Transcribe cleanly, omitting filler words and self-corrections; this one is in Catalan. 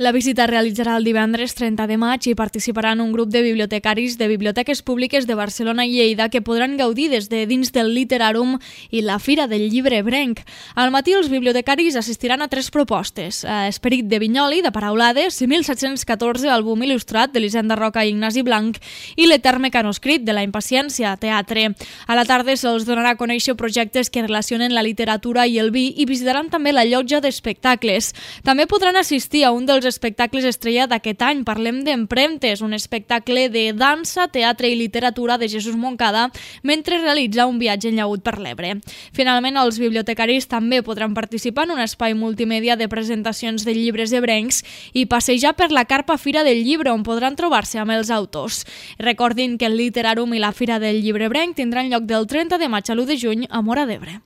La visita es realitzarà el divendres 30 de maig i participaran un grup de bibliotecaris de biblioteques públiques de Barcelona i Lleida que podran gaudir des de dins del Literàrum i la Fira del Llibre Ebrenc. Al matí els bibliotecaris assistiran a 3 propostes: Esperit de Vinyoli, de Paraulades, 1714, àlbum il·lustrat d'Elisenda Roca i Ignasi Blanc, i l'Etern mecanoscrit de la Impaciència, teatre. A la tarda se'ls donarà a conèixer projectes que relacionen la literatura i el vi i visitaran també la llotja d'espectacles. També podran assistir a un dels espectacles estrella d'aquest any. Parlem d'Empremtes, un espectacle de dansa, teatre i literatura de Jesús Moncada mentre realitza un viatge en llaüt per l'Ebre. Finalment, els bibliotecaris també podran participar en un espai multimèdia de presentacions de llibres ebrencs i passejar per la carpa Fira del Llibre, on podran trobar-se amb els autors. Recordin que el Literàrum i la Fira del Llibre Ebrenc tindran lloc del 30 de maig a l'1 de juny a Móra d'Ebre.